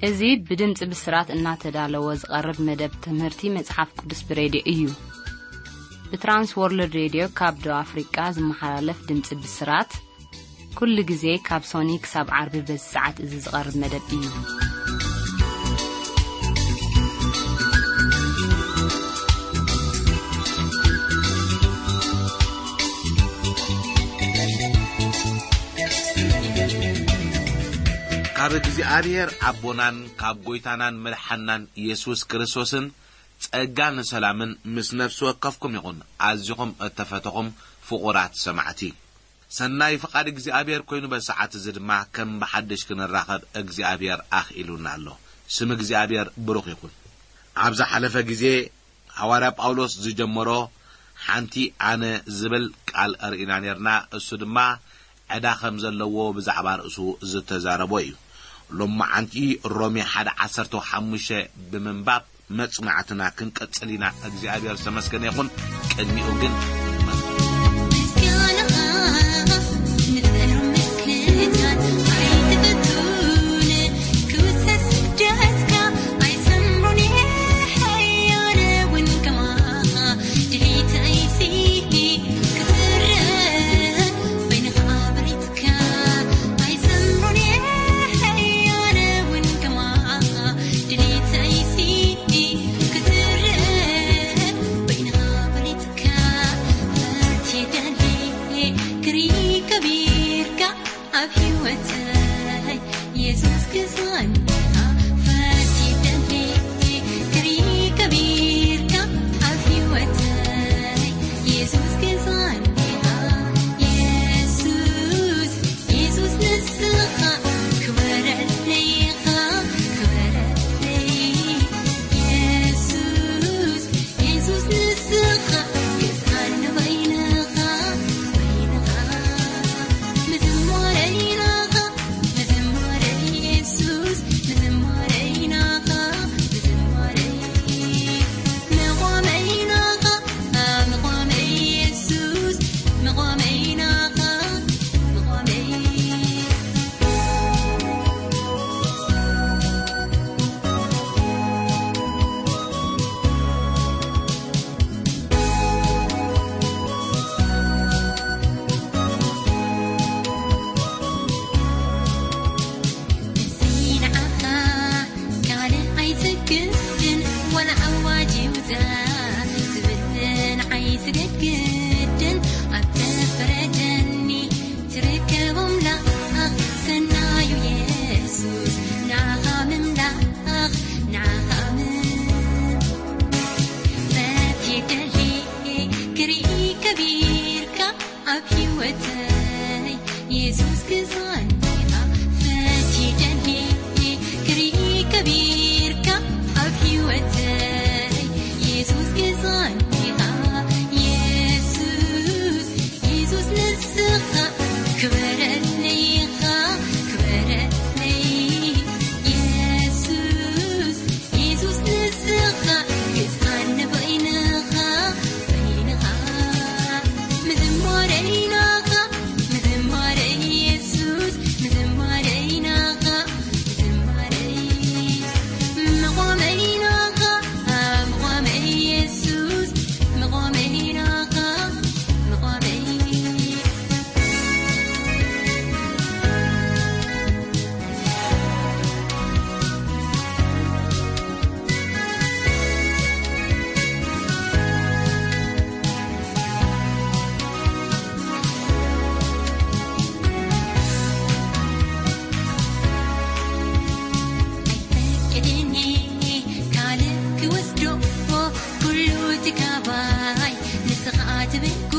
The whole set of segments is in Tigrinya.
እዚ ብድምጺ ብስራት እናተዳለወ ዝቐርብ መደብ ትምህርቲ መጽሓፍ ቅዱስ ብሬድዮ እዩ። ብትራንስ ወርልድ ሬድዮ ካብ ደቡብ ኣፍሪቃ ዝመሓላለፍ ድምጺ ብስራት፣ ኩሉ ግዜ ካብ ሶኒ ክሳብ ዓርቢ በዚ ሰዓት እዚ ዝቐርብ መደብ እዩ። ካብ እግዚኣብሔር ኣቦናን ካብ ጐይታናን መድሓናን ኢየሱስ ክርስቶስን ጸጋን ሰላምን ምስ ነፍሲ ወከፍኩም ይኹን። ኣዚኹም እተፈተኹም ፍቑራት ሰማዕቲ፣ ሰናይ ፍቓድ እግዚኣብሔር ኮይኑ፣ በዚ ሰዓት እዚ ድማ ከም ብሓድሽ ክንራኸብ እግዚኣብሔር ኣኽኢሉና ኣሎ። ስም እግዚኣብሔር ብሩኽ ይኹን። ኣብ ዝሓለፈ ግዜ ሃዋርያ ጳውሎስ ዝጀመሮ ሓንቲ ኣነ ዝብል ቃል ርኢና ነርና። እሱ ድማ ዕዳ ከም ዘለዎ ብዛዕባ ርእሱ ዝተዛረቦ እዩ። ሎማዓንቲ ሮሜ ሓደ ዓሰርተ ሓሙሽተ ብምንባብ መጽናዕትና ክንቀጽል ኢና። እግዚኣብሔር ዝተመስገነ ይኹን። ቅድሚኡ ግን ምስጋናኻ ንጽሩ ምልክታት ኣይትፈቱን፣ ክውሰስ ስደትካ ኣይሰምሩን፣ ሓያል እውን ከማኻ ድሌተይሲ ክትርእ በይንኻ ብሪትካ ኣይሰምሩን፣ ሓያል እውን ከማኻ ድሌተይሲ ክትርእ በይንኻ ብሪትካ ፈትየ ደልየ ክርኢ ከቢርካ ኣብ ህይወተይ የሱስ ግዛኒ ፈትየ ደልየ ክርኢ ከቢርካ ኣብ ህይወተይ የሱስ ግዛኒ የሱስ የሱስ ንስኻ ክበረለይ ኢኻ ክበረለይ የሱስ የሱስ ንስኻ ግዛኒ በይንኻ በይንኻ ምዝማረይ ናኻ ምዝማረይ የሱስ ምዝማረይ ናኻ ምዝማረይ መቖመይ ናኻ መቖመይ የሱስ መቖመይ ናኻ መቖመይ ንዓኻ ካልእ ኣይሰግድን ዋላ ኣዋጅ ይውጻእ ዝብል ንዓይ ስገድ ግድን ኣብ ተፈረደኒ ትርከብ ኣምላኽ ሰናዩ የሱስ ንዓኻ ምምላኽ ንዓኻ ምን ፈትየ ደልየ ክርኢ ከቢርካ ኣብ ህይወተይ የሱስ ግዛኒ ኢኻ ፈትየ ደልየ ክርኢ ከቢርካ ኣብ ህይወተይ የሱስ ግዛኒ ኢኻ የሱስ የሱስ ንስኻ ክበረለይ ኢኻ ክበረለይ የሱስ የሱስ ንስኻ ግዛኒ በይንኻ በይንኻ ምዝማረይ ናኻ ምዝማረይ የሱስ ምዝማረይ ናኻ ምዝማረይ መቖመይ ናኻ መቖመይ የሱስ መቖመይ ናኻ መቖመይ ኣይፈቅድን ካልእ ክወስዶ ኩሉ ትካባይ ንስኻ ትብጎ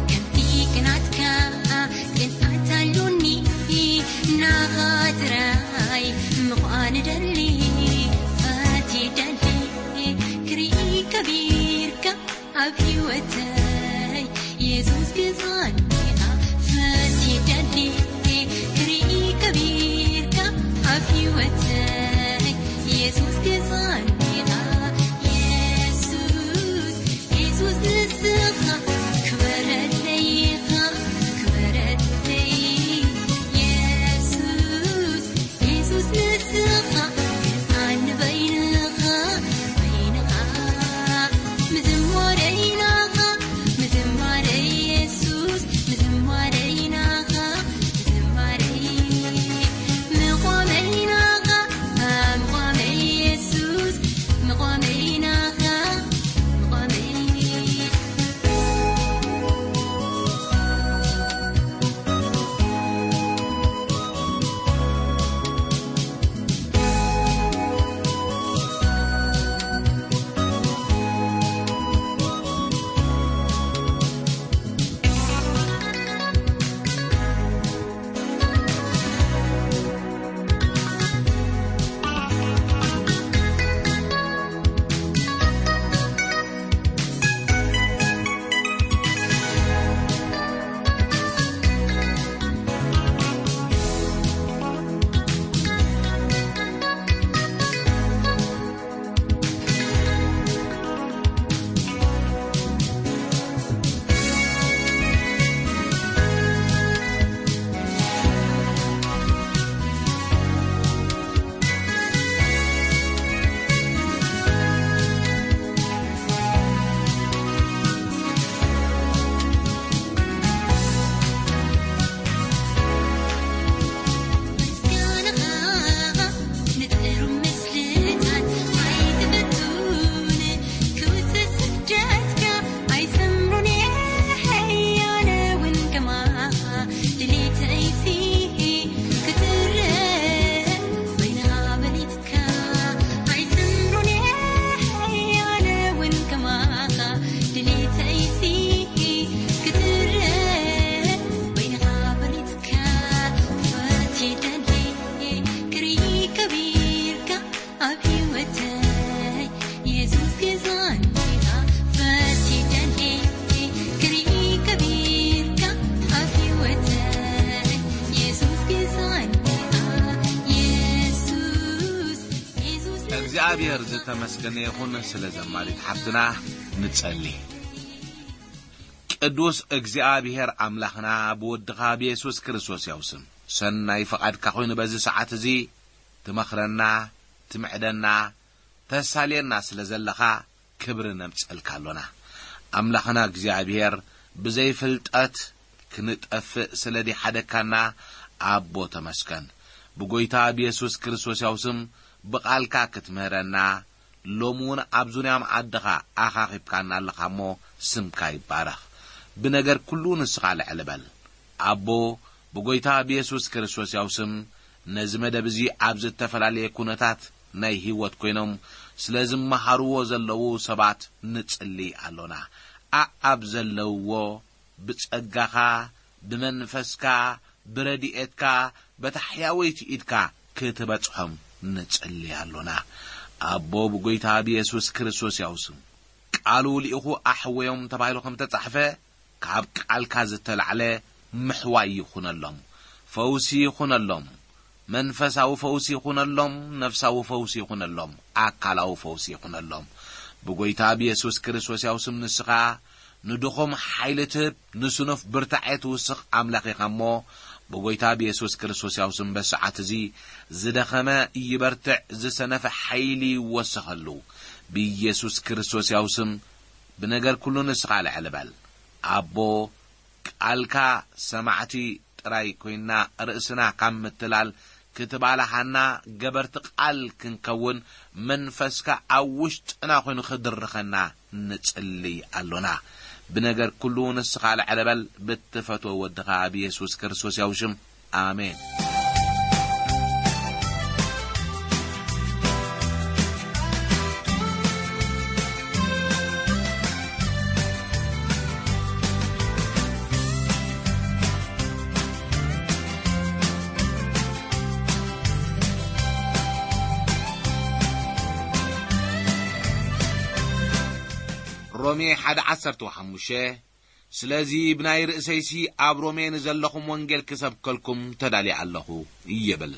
ከምቲ ቅናትካ ቅንኣት ኣሉኒ ናኻ ጥራይ ምዃን ደሊ ፈትየ ደሊ ክርኢ ከቢርካ ኣብ ህይወተይ የሱስ ግዛኒ ኢኻ ፈትየ ደሊ ክርኢ ከቢርካ ኣብ ህይወተይ የሱስ ግዛኒ ኢኻ የሱስ የሱስ ንስኻ ክበረለይ ኢኻ ክበረለይ የሱስ የሱስ ንስኻ እግዚኣብሔር ዝተመስገነ ይኹን። ስለ ዘማሪት ሓፍትና ንጸሊ። ቅዱስ እግዚኣብሔር ኣምላኽና፣ ብወድኻ ብየሱስ ክርስቶስ ያው ስም፣ ሰናይ ፍቓድካ ኮይኑ በዚ ሰዓት እዚ ትመኽረና፣ ትምዕደና፣ ተሳልየና ስለ ዘለኻ ክብሪ ነምጸልካ ኣሎና። ኣምላኽና እግዚኣብሔር፣ ብዘይ ፍልጠት ክንጠፍእ ስለ ዲሓደካና ኣቦ ተመስገን። ብጎይታ ብየሱስ ክርስቶስ ያው ስም ብቓልካ ክትምህረና፣ ሎሚ እውን ኣብ ዙርያ መኣድኻ ኣኻኺብካና ኣለኻ እሞ፣ ስምካ ይባረኽ። ብነገር ኩሉ ንስኻ ልዕል በል። ኣቦ፣ ብጎይታ ብየሱስ ክርስቶስ ያው ስም፣ ነዚ መደብ እዚ ኣብ ዝተፈላለየ ኩነታት ናይ ህይወት ኮይኖም ስለ ዝመሃርዎ ዘለዉ ሰባት ንጽሊ ኣሎና። ኣኣብ ዘለውዎ ብጸጋኻ፣ ብመንፈስካ፣ ብረድኤትካ፣ በታ ሕያወይቲ ኢድካ ክትበጽሖም ንጽሊ ኣሎና። ኣቦ፣ ብጎይታ ብየሱስ ክርስቶስ ያው ስም፣ ቃሉ ልኢኹ ኣሕወዮም ተባሂሉ ከም ተጻሕፈ፣ ካብ ቃልካ ዝተላዕለ ምሕዋይ ይኹነሎም፣ ፈውሲ ይኹነሎም፣ መንፈሳዊ ፈውሲ ይኹነሎም፣ ነፍሳዊ ፈውሲ ይኹነሎም፣ ኣካላዊ ፈውሲ ይኹነሎም። ብጎይታ ብየሱስ ክርስቶስ ያው ስም ንስኻ ንድኹም ሓይሊ ትህብ፣ ንስኑፍ ብርታዐ ትውስኽ ኣምላኽ ኢኻ እሞ፣ ብጎይታ ብየሱስ ክርስቶስ ያው ስም በሰዓት እዚ ዝደኸመ ይበርትዕ፣ ዝሰነፈ ሓይሊ ይወሰኸሉ። ብየሱስ ክርስቶስ ያው ስም ብነገር ኩሉ ንስኻ ልዕል በል። ኣቦ፣ ቃልካ ሰማዕቲ ጥራይ ኮይንና ርእስና ካብ ምትላል ክትባላሃና፣ ገበርቲ ቃል ክንከውን መንፈስካ ኣብ ውሽጥና ኮይኑ ክድርኸና ንጽልይ ኣሎና። ብነገር ኩሉ ንስኻ ልዕል በል፣ ብትፈትዎ ወድኻ ኣብ የሱስ ክርስቶስ ያው ሽም። ኣሜን። ሮሜ ሓደ ዓሰርተ ሓሙሽተ። ስለዚ ብናይ ርእሰይሲ ኣብ ሮሜ ንዘለኹም ወንጌል ክሰብከልኩም ተዳልየ ኣለኹ ይብል።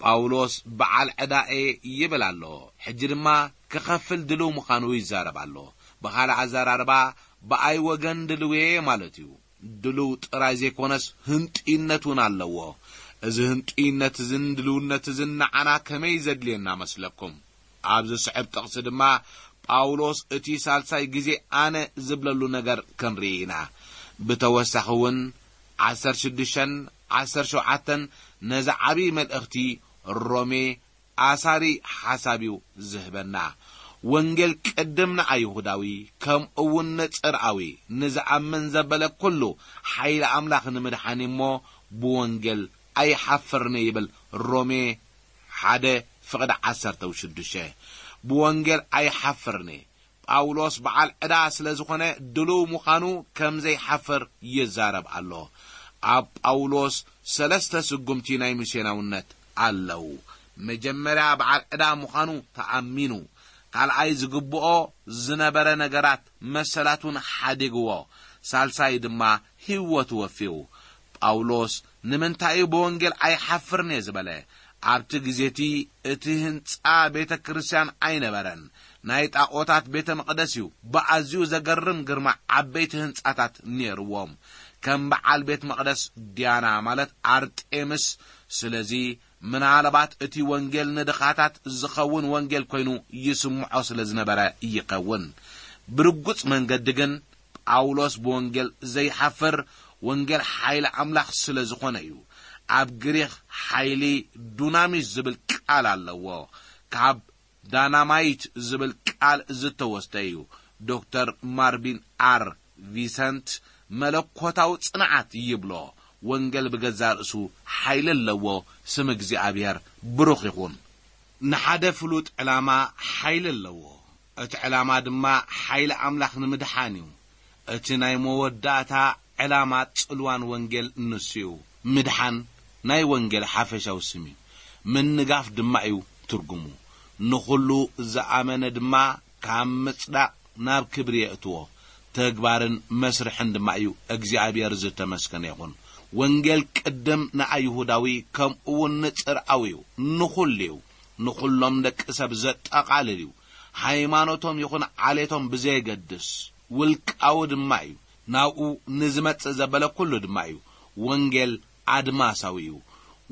ጳውሎስ በዓል ዕዳኤ ይብል ኣሎ። ሕጂ ድማ ክኸፍል ድልው ምዃኑ ይዛረብ ኣሎ። ብኻልእ ኣዘራርባ፣ ብኣይ ወገን ድልውየ ማለት እዩ። ድልው ጥራይ ዘይኮነስ ህንጥይነት እውን ኣለዎ። እዚ ህንጥይነት እዝን ድልውነት እዝን ንዓና ከመይ ዘድልየና መስለኩም? ኣብ ዝስዕብ ጥቕሲ ድማ ጳውሎስ እቲ ሳልሳይ ግዜ ኣነ ዝብለሉ ነገር ክንርኢ ኢና። ብተወሳኺ እውን ዓሰርተ ሽዱሽተን ዓሰርተ ሸውዓተን ነዚ ዓብዪ መልእኽቲ ሮሜ ኣሳሪ ሓሳብ እዩ ዝህበና። ወንጌል ቅድም ንኣይሁዳዊ ከምኡ እውን ንጽርኣዊ ንዝኣምን ዘበለ ኩሉ ሓይሊ ኣምላኽ ንምድሓን እዩ እሞ ብወንጌል ኣይሓፍርን ይብል ሮሜ ሓደ ፍቕዲ ዓሰርተ ሽዱሽተ። ብወንጌል ኣይሓፍርን። ጳውሎስ በዓል ዕዳ ስለ ዝኾነ ድሉው ምዃኑ ከም ዘይሓፍር ይዛረብ ኣሎ። ኣብ ጳውሎስ ሰለስተ ስጉምቲ ናይ ሚስዮናውነት ኣለዉ። መጀመርያ በዓል ዕዳ ምዃኑ ተኣሚኑ፣ ካልኣይ ዝግብኦ ዝነበረ ነገራት መሰላቱን ሓዲግዎ፣ ሳልሳይ ድማ ህይወቱ ወፊዩ። ጳውሎስ ንምንታይ እዩ ብወንጌል ኣይሓፍርን እየ ዝበለ? ኣብቲ ግዜ እቲ፣ እቲ ህንጻ ቤተ ክርስቲያን ኣይነበረን፣ ናይ ጣኦታት ቤተ መቕደስ እዩ። ብኣዝዩ ዘገርም ግርማ ዓበይቲ ህንጻታት ነይርዎም፣ ከም በዓል ቤት መቕደስ ዲያና ማለት ኣርጤምስ። ስለዚ ምናልባት እቲ ወንጌል ንድኻታት ዝኸውን ወንጌል ኮይኑ ይስምዖ ስለ ዝነበረ ይኸውን። ብርጉጽ መንገዲ ግን ጳውሎስ ብወንጌል ዘይሓፍር፣ ወንጌል ሓይሊ ኣምላኽ ስለ ዝኾነ እዩ። ኣብ ግሪኽ ሓይሊ ዱናሚስ ዝብል ቃል ኣለዎ። ካብ ዳናማይት ዝብል ቃል ዝተወስደ እዩ። ዶክተር ማርቪን ኣር ቪሰንት መለኮታዊ ጽንዓት ይብሎ። ወንጌል ብገዛ ርእሱ ሓይሊ ኣለዎ። ስም እግዚኣብሔር ብሩኽ ይኹን። ንሓደ ፍሉጥ ዕላማ ሓይሊ ኣለዎ። እቲ ዕላማ ድማ ሓይሊ ኣምላኽ ንምድሓን እዩ። እቲ ናይ መወዳእታ ዕላማ ጽልዋን ወንጌል ንሱ እዩ። ምድሓን ናይ ወንጌል ሓፈሻዊ ስም እዩ። ምንጋፍ ድማ እዩ ትርጉሙ። ንኹሉ ዝኣመነ ድማ ካብ ምጽዳቕ ናብ ክብሪ የእትዎ። ተግባርን መስርሕን ድማ እዩ። እግዚኣብሔር ዝተመስገነ ይኹን። ወንጌል ቅድም ንኣይሁዳዊ ከምኡ እውን ንጽርኣዊ እዩ፣ ንኹሉ እዩ። ንኹሎም ደቂ ሰብ ዘጠቓልል እዩ። ሃይማኖቶም ይኹን ዓሌቶም ብዘየገድስ ውልቃዊ ድማ እዩ። ናብኡ ንዝመጽእ ዘበለ ኩሉ ድማ እዩ። ወንጌል ኣድማሳዊ እዩ።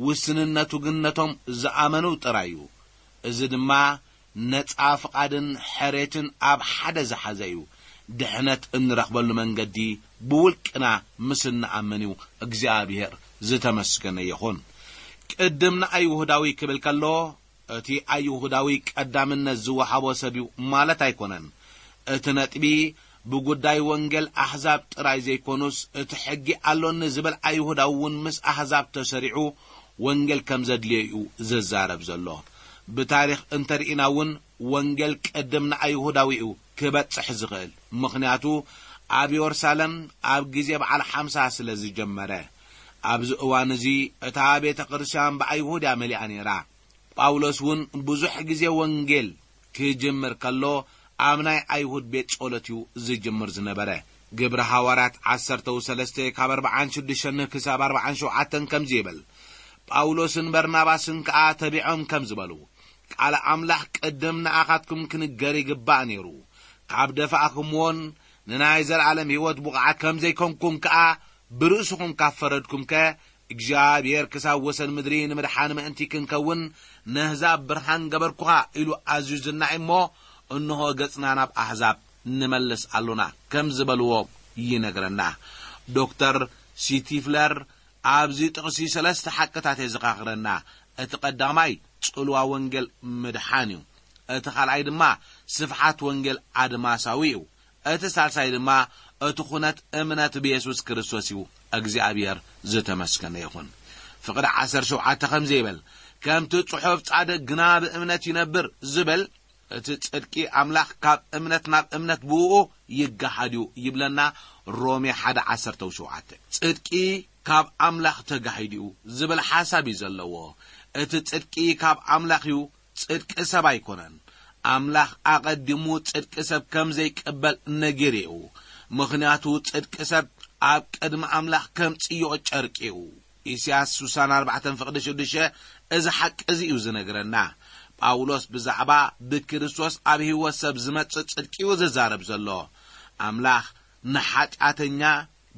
ውስንነቱ ግን ነቶም ዝኣመኑ ጥራይ እዩ። እዚ ድማ ነጻ ፍቓድን ሕሬትን ኣብ ሓደ ዝሓዘ እዩ። ድሕነት እንረኽበሉ መንገዲ ብውልቅና ምስ እንኣምን እዩ። እግዚኣብሔር ዝተመስገነ ይኹን። ቅድም ንኣይሁዳዊ ክብል ከሎ፣ እቲ ኣይሁዳዊ ቀዳምነት ዝወሃቦ ሰብ እዩ ማለት ኣይኮነን። እቲ ነጥቢ ብጉዳይ ወንጌል ኣሕዛብ ጥራይ ዘይኮኑስ፣ እቲ ሕጊ ኣሎኒ ዝብል ኣይሁዳዊ እውን ምስ ኣሕዛብ ተሰሪዑ ወንጌል ከም ዘድልዮ እዩ ዝዛረብ ዘሎ። ብታሪኽ እንተርኢና እውን ወንጌል ቅድም ንኣይሁዳዊ እዩ ክበጽሕ ዝኽእል። ምኽንያቱ ኣብ የሩሳሌም ኣብ ግዜ በዓል ሓምሳ ስለ ዝጀመረ። ኣብዚ እዋን እዚ እታ ቤተ ክርስቲያን ብኣይሁድ እያ መሊኣ ነይራ። ጳውሎስ እውን ብዙሕ ግዜ ወንጌል ክጅምር ከሎ ኣብ ናይ ኣይሁድ ቤት ጸሎት እዩ ዝጅምር ዝነበረ። ግብሪ ሃዋርያት ዓሰርተ ሰለስተ ካብ ኣርባዓን ሽዱሽተን ክሳብ ኣርባዓን ሸውዓተን ከምዚ ይብል፣ ጳውሎስን በርናባስን ከኣ ተቢዖም ከም ዝበሉ፣ ቃል ኣምላኽ ቅድም ንኣኻትኩም ክንገር ይግባእ ነይሩ። ካብ ደፋእኩምዎን ንናይ ዘለኣለም ህይወት ብቑዓት ከም ዘይኮንኩም ከኣ ብርእስኹም ካብ ፈረድኩምከ፣ እግዚኣብሔር ክሳብ ወሰን ምድሪ ንምድሓን ምእንቲ ክንከውን ነህዛብ ብርሃን ገበርኩኻ ኢሉ ኣዚዙና እሞ፣ እንሆ ገጽና ናብ ኣህዛብ ንመልስ ኣሎና ከም ዝበልዎ ይነግረና። ዶክተር ሲቲፍለር ኣብዚ ጥቕሲ ሰለስተ ሓቅታት የዘኻኽረና። እቲ ቀዳማይ ጽልዋ ወንጌል ምድሓን እዩ። እቲ ካልኣይ ድማ ስፍሓት ወንጌል ኣድማሳዊ እዩ። እቲ ሳልሳይ ድማ እቲ ኩነት እምነት ብየሱስ ክርስቶስ እዩ። እግዚኣብሔር ዝተመስገነ ይኹን። ፍቕዲ ዓሰርተ ሸውዓተ ከምዚ ይብል፣ ከምቲ ጽሑፍ ጻድቕ ግና ብእምነት ይነብር ዝብል፣ እቲ ጽድቂ ኣምላኽ ካብ እምነት ናብ እምነት ብእኡ ይገሃድ እዩ ይብለና ሮሜ ሓደ ዓሰርተ ሸውዓተ። ጽድቂ ካብ ኣምላኽ ተጋሂዱ እዩ ዝብል ሓሳብ እዩ ዘለዎ። እቲ ጽድቂ ካብ ኣምላኽ እዩ፣ ጽድቂ ሰብ ኣይኮነን። ኣምላኽ ኣቐዲሙ ጽድቂ ሰብ ከም ዘይቅበል ነጊሩ እዩ። ምኽንያቱ ጽድቂ ሰብ ኣብ ቅድሚ ኣምላኽ ከም ጽዮኦ ጨርቂ እዩ። ኢሳያስ ስሳን ኣርባዕተን ፍቕዲ ሽዱሽተ እዚ ሓቂ እዚ እዩ ዝነግረና። ጳውሎስ ብዛዕባ ብክርስቶስ ኣብ ህይወት ሰብ ዝመጽእ ጽድቂ እዩ ዝዛረብ ዘሎ። ኣምላኽ ንሓጢኣተኛ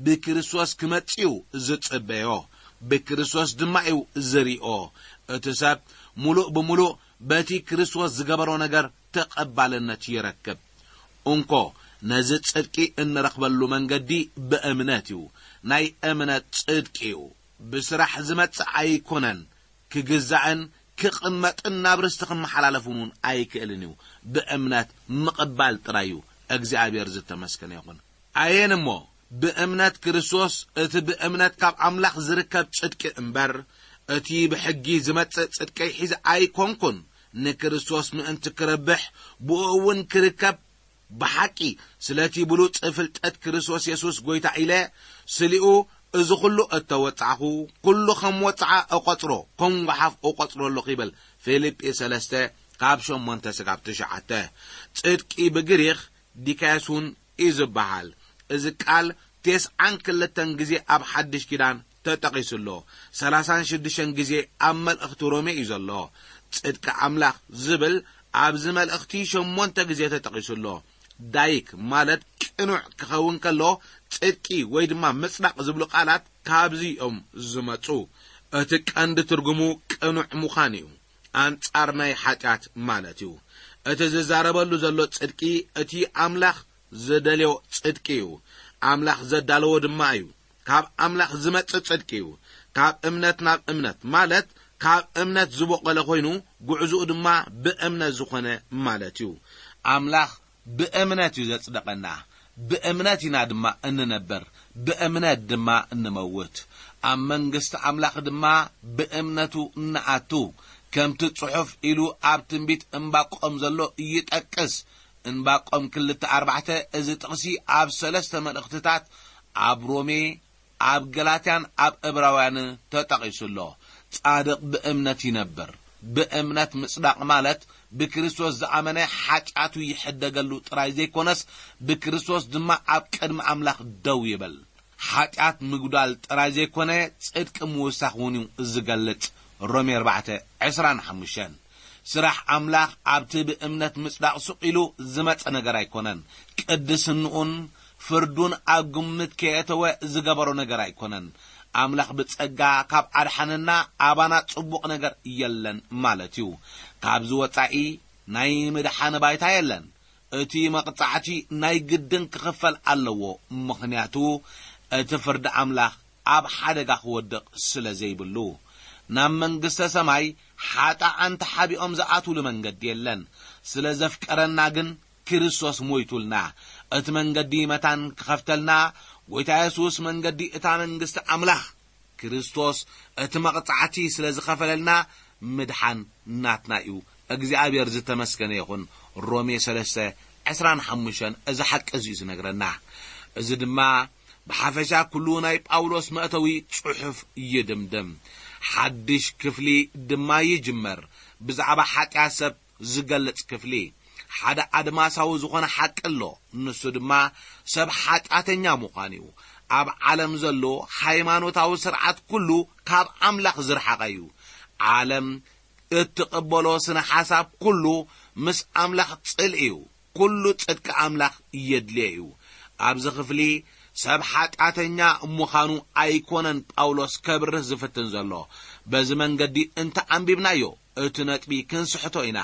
ብክርስቶስ ክመጽእ እዩ ዝጽበዮ፣ ብክርስቶስ ድማ እዩ ዝሪኦ። እቲ ሰብ ምሉእ ብምሉእ በቲ ክርስቶስ ዝገበሮ ነገር ተቐባልነት ይረክብ። እንኮ ነዚ ጽድቂ እንረኽበሉ መንገዲ ብእምነት እዩ። ናይ እምነት ጽድቂ እዩ። ብስራሕ ዝመጽእ ኣይኮነን። ክግዛእን ክቕመጥን ናብ ርስቲ ክመሓላለፍን እውን ኣይክእልን እዩ። ብእምነት ምቕባል ጥራይ እዩ። እግዚኣብሔር ዝተመስገነ ይኹን። ኣየን እሞ ብእምነት ክርስቶስ፣ እቲ ብእምነት ካብ ኣምላኽ ዝርከብ ጽድቂ እምበር፣ እቲ ብሕጊ ዝመጽእ ጽድቀይ ሒዘ ኣይኮንኩን። ንክርስቶስ ምእንቲ ክረብሕ፣ ብኡ እውን ክርከብ፣ ብሓቂ ስለቲ ብሉጽ ፍልጠት ክርስቶስ የሱስ ጐይታ ኢለ፣ ስሊኡ እዚ ኹሉ እተወጻዕኹ፣ ኩሉ ከም ወጽዓ እቖጽሮ፣ ከም ጓሓፍ እቖጽሮ ኣለኹ ይብል። ፊልጲ ሰለስተ ካብ ሸሞንተ ስጋብ ትሽዓተ። ጽድቂ ብግሪኽ ዲካዮስ እውን እዩ ዝበሃል። እዚ ቃል ቴስዓን ክልተን ግዜ ኣብ ሓድሽ ኪዳን ተጠቒሱ ኣሎ። ሰላሳን ሽዱሽተን ግዜ ኣብ መልእኽቲ ሮሜ እዩ ዘሎ። ጽድቂ ኣምላኽ ዝብል ኣብዚ መልእኽቲ ሸሞንተ ግዜ ተጠቒሱ ኣሎ። ዳይክ ማለት ቅኑዕ ክኸውን ከሎ፣ ጽድቂ ወይ ድማ ምጽዳቕ ዝብሉ ቃላት ካብዚ እዮም ዝመጹ። እቲ ቀንዲ ትርጉሙ ቅኑዕ ምዃን እዩ። ኣንጻር ናይ ሓጢኣት ማለት እዩ። እቲ ዝዛረበሉ ዘሎ ጽድቂ እቲ ኣምላኽ ዝደልዮ ጽድቂ እዩ። ኣምላኽ ዘዳለዎ ድማ እዩ። ካብ ኣምላኽ ዝመጽእ ጽድቂ እዩ። ካብ እምነት ናብ እምነት ማለት ካብ እምነት ዝበቖለ ኮይኑ፣ ጉዕዝኡ ድማ ብእምነት ዝኾነ ማለት እዩ። ኣምላኽ ብእምነት እዩ ዘጽደቐና። ብእምነት ኢና ድማ እንነብር፣ ብእምነት ድማ እንመውት። ኣብ መንግስቲ ኣምላኽ ድማ ብእምነቱ እንኣቱ። ከምቲ ጽሑፍ ኢሉ ኣብ ትንቢት እምባቆም ዘሎ ይጠቅስ። እንባቆም ክልተ ኣርባዕተ፣ እዚ ጥቕሲ ኣብ ሰለስተ መልእኽትታት፣ ኣብ ሮሜ፣ ኣብ ገላትያን ኣብ እብራውያን ተጠቒሱ ኣሎ። ጻድቕ ብእምነት ይነብር። ብእምነት ምጽዳቕ ማለት ብክርስቶስ ዝኣመነ ሓጢኣቱ ይሕደገሉ ጥራይ ዘይኮነስ፣ ብክርስቶስ ድማ ኣብ ቅድሚ ኣምላኽ ደው ይብል። ሓጢኣት ምጉዳል ጥራይ ዘይኮነ፣ ጽድቂ ምውሳኽ እውን እዩ ዝገልጽ። ሮሜ ኣርባዕተ ዕስራን ሓሙሽተን። ስራሕ ኣምላኽ ኣብቲ ብእምነት ምጽዳቕ ሱቕ ኢሉ ዝመጸ ነገር ኣይኮነን። ቅድስንኡን ፍርዱን ኣብ ግምት ከየእተወ ዝገበሮ ነገር ኣይኮነን። ኣምላኽ ብጸጋ ካብ ኣድሓነና ኣባና ጽቡቕ ነገር የለን ማለት እዩ። ካብዚ ወጻኢ ናይ ምድሓን ባይታ የለን። እቲ መቕጻዕቲ ናይ ግድን ክኽፈል ኣለዎ፣ ምኽንያቱ እቲ ፍርዲ ኣምላኽ ኣብ ሓደጋ ክወድቕ ስለ ዘይብሉ። ናብ መንግስተ ሰማይ ሓጣኣን ተሓቢኦም ዝኣትውሉ መንገዲ የለን። ስለ ዘፍቀረና ግን ክርስቶስ ሞይቱልና። እቲ መንገዲ መታን ክኸፍተልና፣ ጎይታ የሱስ መንገዲ እታ መንግስቲ ኣምላኽ፣ ክርስቶስ እቲ መቕጻዕቲ ስለ ዝኸፈለልና ምድሓን ናትና እዩ። እግዚኣብሔር ዝተመስገነ ይኹን። ሮሜ ሰለስተ ዕስራን ሓሙሽተን እዚ ሓቂ እዚ እዩ ዝነግረና። እዚ ድማ ብሓፈሻ ኩሉ ናይ ጳውሎስ መእተዊ ጽሑፍ ይድምድም። ሓድሽ ክፍሊ ድማ ይጅመር። ብዛዕባ ሓጢኣት ሰብ ዝገልጽ ክፍሊ። ሓደ ኣድማሳዊ ዝኾነ ሓቂ ኣሎ። ንሱ ድማ ሰብ ሓጢኣተኛ ምዃን እዩ። ኣብ ዓለም ዘሎ ሃይማኖታዊ ስርዓት ኩሉ ካብ ኣምላኽ ዝረሓቐ እዩ። ዓለም እትቕበሎ ስነ ሓሳብ ኩሉ ምስ ኣምላኽ ጽልኢ እዩ። ኩሉ ጽድቂ ኣምላኽ የድልዮ እዩ። ኣብዚ ክፍሊ ሰብ ሓጢኣተኛ ምዃኑ ኣይኮነን ጳውሎስ ከብርህ ዝፍትን ዘሎ። በዚ መንገዲ እንተ ኣንቢብናዮ፣ እቲ ነጥቢ ክንስሕቶ ኢና።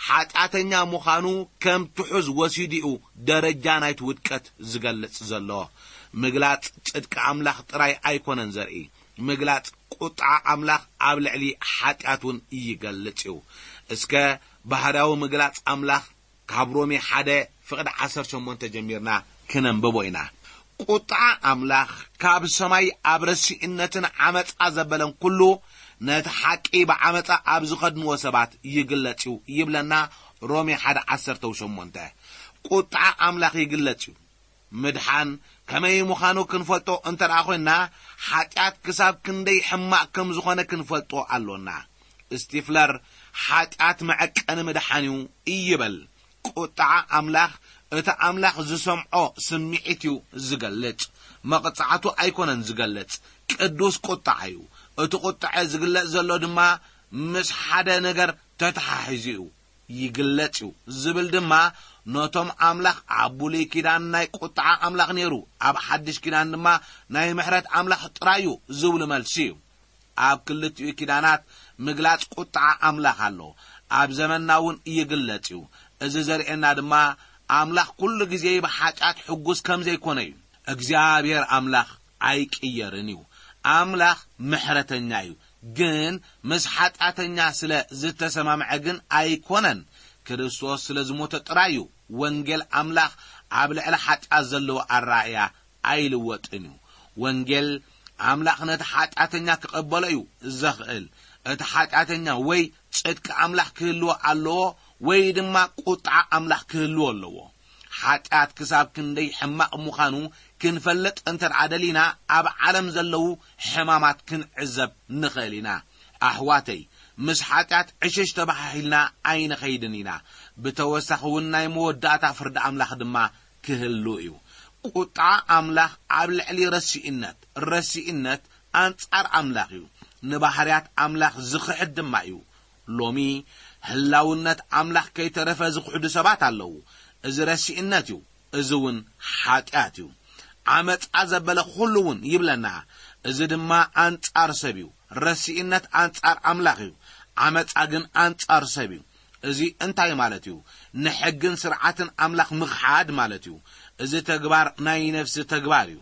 ሓጢኣተኛ ምዃኑ ከም ትሑዝ ወሲዱ እዩ ደረጃ ናይቲ ውድቀት ዝገልጽ ዘሎ። ምግላጽ ጽድቂ ኣምላኽ ጥራይ ኣይኮነን ዘርኢ። ምግላጽ ቁጥዓ ኣምላኽ ኣብ ልዕሊ ሓጢኣት እውን ይገልጽ እዩ። እስከ ባህርያዊ ምግላጽ ኣምላኽ ካብ ሮሜ ሓደ ፍቕዲ ዓሰርተ ሸሞንተ ጀሚርና ክነንብቦ ኢና። ቁጥዓ ኣምላኽ ካብ ሰማይ ኣብ ረሲእነትን ዓመጻ ዘበለን ኩሉ ነቲ ሓቂ ብዓመጻ ኣብ ዝኸድንዎ ሰባት ይግለጽ እዩ ይብለና ሮሜ ሓደ ዓሰርተ ሸሞንተ። ቁጥዓ ኣምላኽ ይግለጽ እዩ። ምድሓን ከመይ ምዃኑ ክንፈልጦ እንተ ደኣ ኾይንና፣ ሓጢኣት ክሳብ ክንደይ ሕማቕ ከም ዝኾነ ክንፈልጦ ኣሎና። ስቲፍለር፣ "ሓጢኣት መዐቀኒ ምድሓን እዩ" ይበል። ቁጥዓ ኣምላኽ፣ እቲ ኣምላኽ ዝሰምዖ ስምዒት እዩ ዝገልጽ፣ መቕጻዕቱ ኣይኮነን ዝገልጽ። ቅዱስ ቁጥዓ እዩ። እቲ ቁጥዐ ዝግለጽ ዘሎ ድማ ምስ ሓደ ነገር ተተሓሒዙ እዩ። ይግለጽ እዩ ዝብል ድማ፣ ነቶም ኣምላኽ ኣብ ብሉይ ኪዳን ናይ ቁጥዓ ኣምላኽ ነይሩ፣ ኣብ ሓድሽ ኪዳን ድማ ናይ ምሕረት ኣምላኽ ጥራይ እዩ ዝብሉ መልሲ እዩ። ኣብ ክልቲኡ ኪዳናት ምግላጽ ቁጥዓ ኣምላኽ ኣሎ። ኣብ ዘመንና እውን ይግለጽ እዩ። እዚ ዘርእየና ድማ፣ ኣምላኽ ኩሉ ግዜ ብሓጢኣት ሕጉስ ከም ዘይኮነ እዩ። እግዚኣብሔር ኣምላኽ ኣይቅየርን እዩ። ኣምላኽ ምሕረተኛ እዩ፣ ግን ምስ ሓጢኣተኛ ስለ ዝተሰማምዐ ግን ኣይኮነን። ክርስቶስ ስለ ዝሞተ ጥራይ እዩ። ወንጌል ኣምላኽ ኣብ ልዕሊ ሓጢኣት ዘለዎ ኣረኣእያ ኣይልወጥን እዩ። ወንጌል ኣምላኽ ነቲ ሓጢኣተኛ ክቐበሎ እዩ ዘኽእል። እቲ ሓጢኣተኛ ወይ ጽድቂ ኣምላኽ ክህልዎ ኣለዎ፣ ወይ ድማ ቁጥዓ ኣምላኽ ክህልዎ ኣለዎ። ሓጢኣት ክሳብ ክንደይ ሕማቕ ምዃኑ ክንፈልጥ እንተ ደኣ ደሊና፣ ኣብ ዓለም ዘለዉ ሕማማት ክንዕዘብ ንኽእል ኢና። ኣሕዋተይ፣ ምስ ሓጢኣት ዕሽሽ ተባሃሂልና ኣይንኸይድን ኢና። ብተወሳኺ እውን ናይ መወዳእታ ፍርዲ ኣምላኽ ድማ ክህሉ እዩ። ቁጥዓ ኣምላኽ ኣብ ልዕሊ ረሲእነት፣ ረሲእነት ኣንጻር ኣምላኽ እዩ። ንባህርያት ኣምላኽ ዝኽሕድ ድማ እዩ። ሎሚ ህላውነት ኣምላኽ ከይተረፈ ዝኽሕዱ ሰባት ኣለዉ። እዚ ረሲእነት እዩ። እዚ እውን ሓጢኣት እዩ። ዓመጻ ዘበለ ኩሉ እውን ይብለና። እዚ ድማ ኣንጻር ሰብ እዩ። ረሲእነት ኣንጻር ኣምላኽ እዩ። ዓመጻ ግን ኣንጻር ሰብ እዩ። እዚ እንታይ ማለት እዩ? ንሕግን ስርዓትን ኣምላኽ ምኽሓድ ማለት እዩ። እዚ ተግባር ናይ ነፍሲ ተግባር እዩ።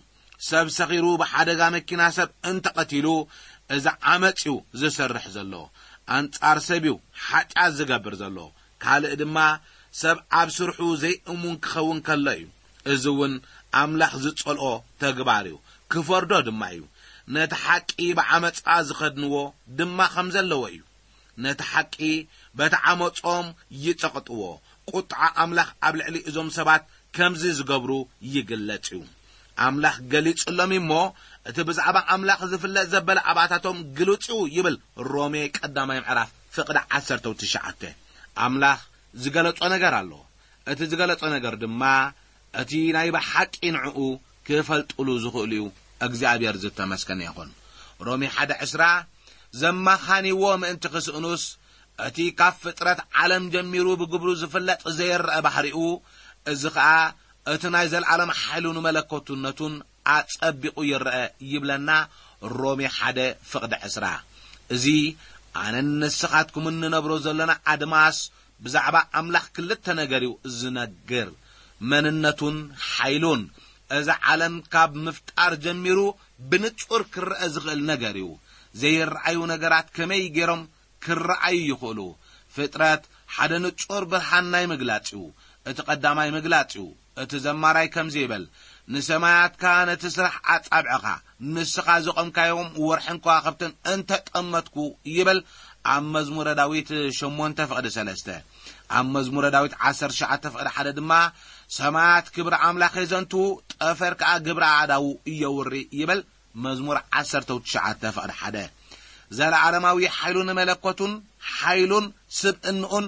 ሰብ ሰኺሩ ብሓደጋ መኪና ሰብ እንተቐቲሉ፣ እዚ ዓመጽ እዩ ዝሰርሕ ዘሎ። ኣንጻር ሰብ እዩ ሓጢኣት ዝገብር ዘሎ። ካልእ ድማ ሰብ ኣብ ስርሑ ዘይእሙን ክኸውን ከሎ እዩ። እዚ እውን ኣምላኽ ዝጸልኦ ተግባር እዩ፣ ክፈርዶ ድማ እዩ። ነቲ ሓቂ ብዓመጻ ዝኸድንዎ ድማ ከም ዘለዎ እዩ። ነቲ ሓቂ በቲ ዓመጾም ይጸቕጥዎ። ቁጥዓ ኣምላኽ ኣብ ልዕሊ እዞም ሰባት ከምዚ ዝገብሩ ይግለጽ እዩ። ኣምላኽ ገሊጹሎም እሞ፣ እቲ ብዛዕባ ኣምላኽ ዝፍለጥ ዘበለ ኣባታቶም ግሉጽ እዩ ይብል ሮሜ ቀዳማይ ምዕራፍ ፍቕዲ ዓሰርተ ትሽዓተ። ኣምላኽ ዝገለጾ ነገር ኣሎ። እቲ ዝገለጾ ነገር ድማ እቲ ናይ ብሓቂ ንዕኡ ክፈልጥሉ ዝኽእሉ እዩ። እግዚኣብሔር ዝተመስገነ ይኹን። ሮሜ ሓደ ዕስራ፣ "ዘማኻንይዎ ምእንቲ ክስእኑስ እቲ ካብ ፍጥረት ዓለም ጀሚሩ ብግብሩ ዝፍለጥ ዘይረአ ባህሪኡ፣ እዚ ኸኣ እቲ ናይ ዘለዓለም ሓይሉን መለኮትነቱን ኣጸቢቑ ይረአ ይብለና ሮሜ ሓደ ፍቕዲ ዕስራ። እዚ ኣነን ንስኻትኩምን ንነብሮ ዘለና ኣድማስ ብዛዕባ ኣምላኽ ክልተ ነገር እዩ ዝነግር። መንነቱን ሓይሉን። እዚ ዓለም ካብ ምፍጣር ጀሚሩ ብንጹር ክረአ ዝኽእል ነገር እዩ። ዘይረኣዩ ነገራት ከመይ ገይሮም ክረኣዩ ይኽእሉ? ፍጥረት ሓደ ንጹር ብርሃን ናይ ምግላጽ እዩ። እቲ ቀዳማይ ምግላጽ እዩ። እቲ ዘማራይ ከምዚ ይብል፣ "ንሰማያትካ ነቲ ስራሕ ኣጻብዕኻ፣ ንስኻ ዘቖምካዮም ወርሕን ከዋኽብትን እንተጠመትኩ" ይብል ኣብ መዝሙረ ዳዊት ሸሞንተ ፍቕዲ ሰለስተ። ኣብ መዝሙረ ዳዊት ዓሰርተ ትሽዓተ ፍቕዲ ሓደ ድማ፣ "ሰማያት ክብሪ ኣምላኽ የዘንቱ፣ ጠፈር ከኣ ግብሪ ኣእዳዉ የውሪ" ይብል። መዝሙር ዓሰርተ ትሽዓተ ፍቕዲ ሓደ። ዘለዓለማዊ ሓይሉን መለኮቱን፣ ሓይሉን ስብእንኡን፣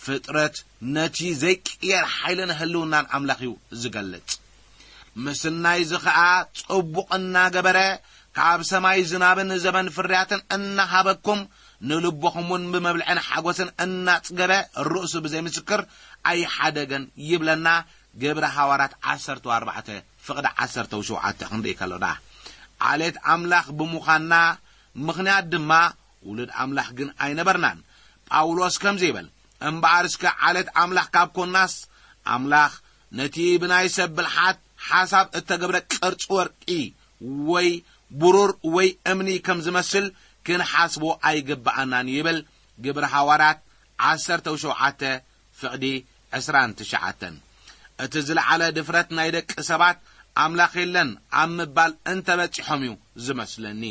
ፍጥረት ነቲ ዘይቅየር ሓይልን ህልውናን ኣምላኽ እዩ ዝገልጽ። ምስናይ እዚ ኸኣ ጽቡቕ እናገበረ፣ ካብ ሰማይ ዝናብን ዘበን ፍርያትን እናሃበኩም፣ ንልብኹም እውን ብመብልዕን ሓጎስን እናጽገበ፣ ርእሱ ብዘይምስክር ኣይሓደገን ይብለና ግብረ ሃዋርያት ዓሰርተ ኣርባዕተ ፍቕዲ ዓሰርተ ሸውዓተ ክንርኢ ከሎና። ዓሌት ኣምላኽ ብምዃንና ምኽንያት ድማ ውሉድ ኣምላኽ ግን ኣይነበርናን። ጳውሎስ ከምዚ ይብል፣ "እምበኣር እስከ ዓሌት ኣምላኽ ካብ ኮናስ፣ ኣምላኽ ነቲ ብናይ ሰብ ብልሓት ሓሳብ እተገብረ ቅርጺ ወርቂ ወይ ብሩር ወይ እምኒ ከም ዝመስል ክንሓስቦ ኣይግብኣናን" ይብል ግብረ ሃዋርያት ዓሰርተ ሸውዓተ ፍቕዲ ዕስራን ትሽዓተን። እቲ ዝለዓለ ድፍረት ናይ ደቂ ሰባት ኣምላኽ የለን ኣብ ምባል እንተበጺሖም እዩ ዝመስለኒ።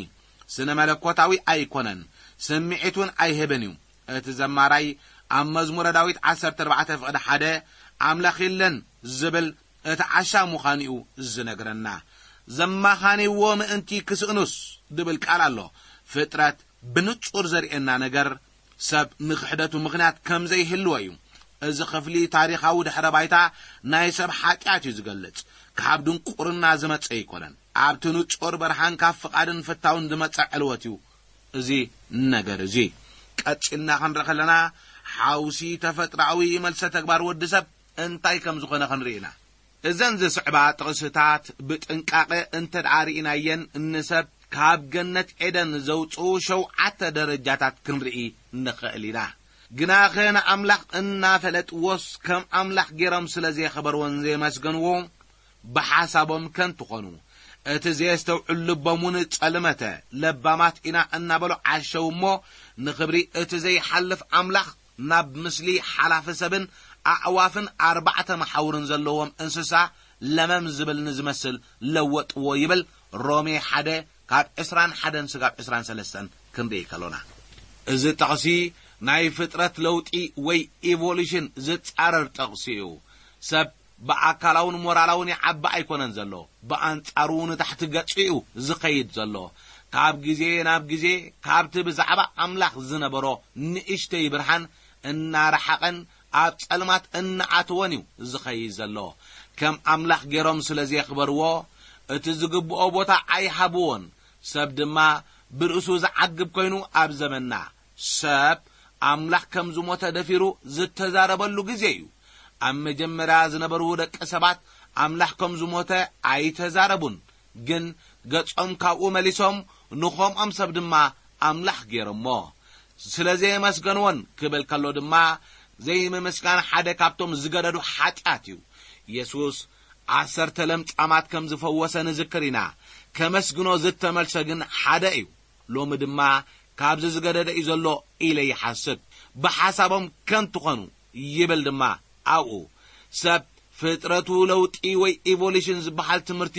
ስነ መለኮታዊ ኣይኮነን፣ ስምዒት እውን ኣይህብን እዩ። እቲ ዘማራይ ኣብ መዝሙረ ዳዊት ዓሰርተ ኣርባዕተ ፍቕዲ ሓደ ኣምላኽ የለን ዝብል እቲ ዓሻ ምዃኑ እዩ ዝነግረና። ዘማኻንይዎ ምእንቲ ክስእኑስ ድብል ቃል ኣሎ። ፍጥረት ብንጹር ዘርእየና ነገር ሰብ ንክሕደቱ ምኽንያት ከም ዘይህልዎ እዩ። እዚ ክፍሊ ታሪኻዊ ድሕረ ባይታ ናይ ሰብ ሓጢኣት እዩ ዝገልጽ። ካብ ድንቁርና ዝመጸ ኣይኮነን። ኣብቲ ንጹር ብርሃን ካብ ፍቓድን ፍታውን ዝመጸ ዕልወት እዩ እዚ ነገር እዚ። ቀጺልና ክንርኢ ከለና፣ ሓውሲ ተፈጥሮኣዊ መልሰ ተግባር ወዲ ሰብ እንታይ ከም ዝኾነ ክንርኢ ኢና። እዘን ዝስዕባ ጥቕስታት ብጥንቃቐ እንተ ደኣ ርኢናየን፣ ንሰብ ካብ ገነት ኤደን ዘውጽኡ ሸውዓተ ደረጃታት ክንርኢ ንኽእል ኢና። ግናኸ ንኣምላኽ እናፈለጥዎስ ከም ኣምላኽ ገይሮም ስለ ዘየኽበርዎን ዘየመስገንዎ፣ ብሓሳቦም ከንቱ ኾኑ። እቲ ዘየስተውዕል ልቦም እውን ጸልመተ። ለባማት ኢና እናበሉ ዓሸው እሞ፣ ንኽብሪ እቲ ዘይሓልፍ ኣምላኽ ናብ ምስሊ ሓላፊ ሰብን ኣዕዋፍን ኣርባዕተ መሓውርን ዘለዎም እንስሳ ለመም ዝብል ንዝመስል ለወጥዎ ይብል ሮሜ ሓደ ካብ ዕስራን ሓደን ስጋብ ዕስራን ሰለስተን ክንርኢ ከሎና። እዚ ጥቕሲ ናይ ፍጥረት ለውጢ ወይ ኢቮሉሽን ዝጻረር ጥቕሲ እዩ። ሰብ ብኣካላውን ሞራላውን ይዓቢ ኣይኮነን ዘሎ፣ ብኣንጻሩ ንታሕቲ ገጹ እዩ ዝኸይድ ዘሎ። ካብ ግዜ ናብ ግዜ ካብቲ ብዛዕባ ኣምላኽ ዝነበሮ ንእሽተይ ብርሃን እናረሓቐን ኣብ ጸልማት እናኣተወን እዩ ዝኸይድ ዘሎ። ከም ኣምላኽ ገይሮም ስለ ዘየኽበርዎ፣ እቲ ዝግብኦ ቦታ ኣይሃብዎን። ሰብ ድማ ብርእሱ ዝዓግብ ኮይኑ ኣብ ዘመንና፣ ሰብ ኣምላኽ ከም ዝሞተ ደፊሩ ዝተዛረበሉ ግዜ እዩ። ኣብ መጀመርያ ዝነበሩ ደቂ ሰባት ኣምላኽ ከም ዝሞተ ኣይተዛረቡን፣ ግን ገጾም ካብኡ መሊሶም ንኸምኦም ሰብ ድማ ኣምላኽ ገይሮሞ። ስለ ዘየመስገንዎን ክብል ከሎ ድማ፣ ዘይምምስጋን ሓደ ካብቶም ዝገደዱ ሓጢኣት እዩ። የሱስ ዓሰርተ ለምጻማት ከም ዝፈወሰ ንዝክር ኢና። ከመስግኖ ዝተመልሰ ግን ሓደ እዩ። ሎሚ ድማ ካብዚ ዝገደደ እዩ ዘሎ ኢለ ይሓስብ። ብሓሳቦም ከንቱ ኾኑ ይብል ድማ ኣብኡ። ሰብ ፍጥረቱ ለውጢ ወይ ኢቮሉሽን ዝበሃል ትምህርቲ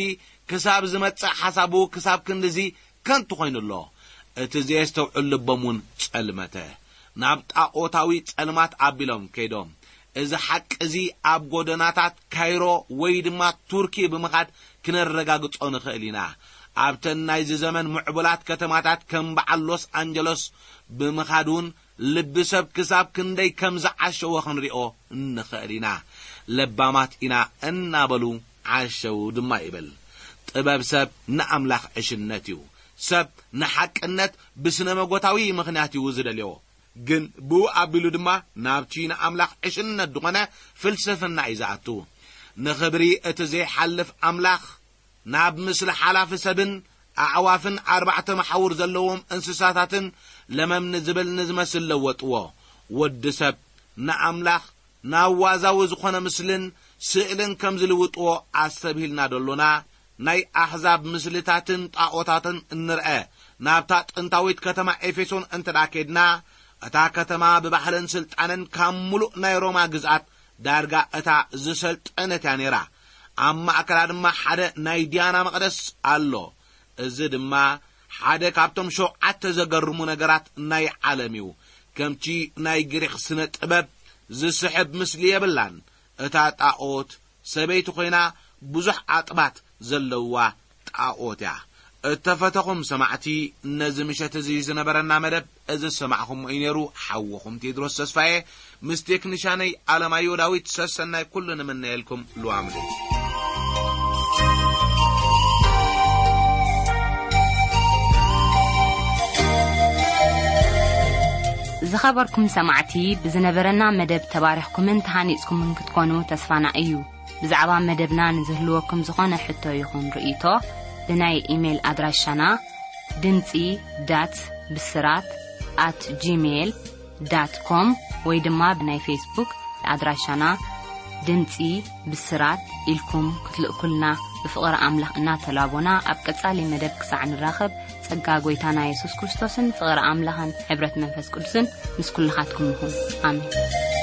ክሳብ ዝመጽእ ሓሳቡ ክሳብ ክንድዚ ከንቱ ኾይኑ ኣሎ። እቲ ዘየስተውዕል ልቦም እውን ጸልመተ። ናብ ጣኦታዊ ጸልማት ኣቢሎም ከይዶም። እዚ ሓቂ እዚ ኣብ ጎደናታት ካይሮ ወይ ድማ ቱርኪ ብምኻድ ክነረጋግጾ ንኽእል ኢና። ኣብተን ናይዚ ዘመን ምዕቡላት ከተማታት ከም በዓል ሎስ ኣንጀሎስ ብምኻድ እውን ልቢ ሰብ ክሳብ ክንደይ ከም ዝዓሸወ ክንሪኦ ንኽእል ኢና። ለባማት ኢና እናበሉ ዓሸው ድማ ይብል። ጥበብ ሰብ ንኣምላኽ ዕሽነት እዩ። ሰብ ንሓቅነት ብስነ መጎታዊ ምኽንያት እዩ ዝደልዮ። ግን ብኡ ኣቢሉ ድማ ናብቲ ንኣምላኽ ዕሽነት ዝኾነ ፍልስፍና እዩ ዝኣቱ። ንኽብሪ እቲ ዘይሓልፍ ኣምላኽ ናብ ምስሊ ሓላፊ ሰብን ኣዕዋፍን ኣርባዕተ መሓውር ዘለዎም እንስሳታትን ለመም ንዝብል ንዝመስል ለወጥዎ። ወዲ ሰብ ንኣምላኽ ናብ ዋዛዊ ዝኾነ ምስልን ስእልን ከም ዝልውጥዎ ኣስተብሂልና ደሎና፣ ናይ ኣሕዛብ ምስልታትን ጣኦታትን እንርአ ናብታ ጥንታዊት ከተማ ኤፌሶን እንተ ደኣ ኬድና፣ እታ ከተማ ብባህልን ስልጣንን ካብ ምሉእ ናይ ሮማ ግዝኣት ዳርጋ እታ ዝሰልጠነት እያ ነይራ። ኣብ ማእከላ ድማ ሓደ ናይ ዲያና መቕደስ ኣሎ። እዚ ድማ ሓደ ካብቶም ሸውዓተ ዘገርሙ ነገራት ናይ ዓለም እዩ። ከምቲ ናይ ግሪኽ ስነ ጥበብ ዝስሕብ ምስሊ የብላን። እታ ጣኦት ሰበይቲ ኮይና ብዙሕ ኣጥባት ዘለዋ ጣኦት እያ። እተፈተኹም ሰማዕቲ፣ ነዚ ምሸት እዚ ዝነበረና መደብ እዚ ዝሰማዕኹሞ እዩ ነይሩ። ሓውኹም ቴድሮስ ተስፋዬ ምስ ቴክኒሻነይ ኣለማዮ ዳዊት ሰሰናይ ኩሉ ንምነየልኩም። ልዋም ደይ ዝኸበርኩም ሰማዕቲ፣ ብዝነበረና መደብ ተባሪኽኩምን ተሃኒጽኩምን ክትኮኑ ተስፋና እዩ። ብዛዕባ መደብና ንዝህልወኩም ዝኾነ ሕቶ ይኹን ርእይቶ፣ ብናይ ኢሜይል ኣድራሻና ድምጺ ዳት ብስራት ኣት ጂሜይል ዳት ኮም ወይ ድማ ብናይ ፌስቡክ ኣድራሻና ድምጺ ብስራት ኢልኩም ክትልእኩልና ብፍቕሪ ኣምላኽ እናተላቦና፣ ኣብ ቀጻሊ መደብ ክሳዕ ንራኸብ፣ ጸጋ ጐይታና የሱስ ክርስቶስን ፍቕሪ ኣምላኽን ሕብረት መንፈስ ቅዱስን ምስ ኩልኻትኩም ይኹን። ኣሜን።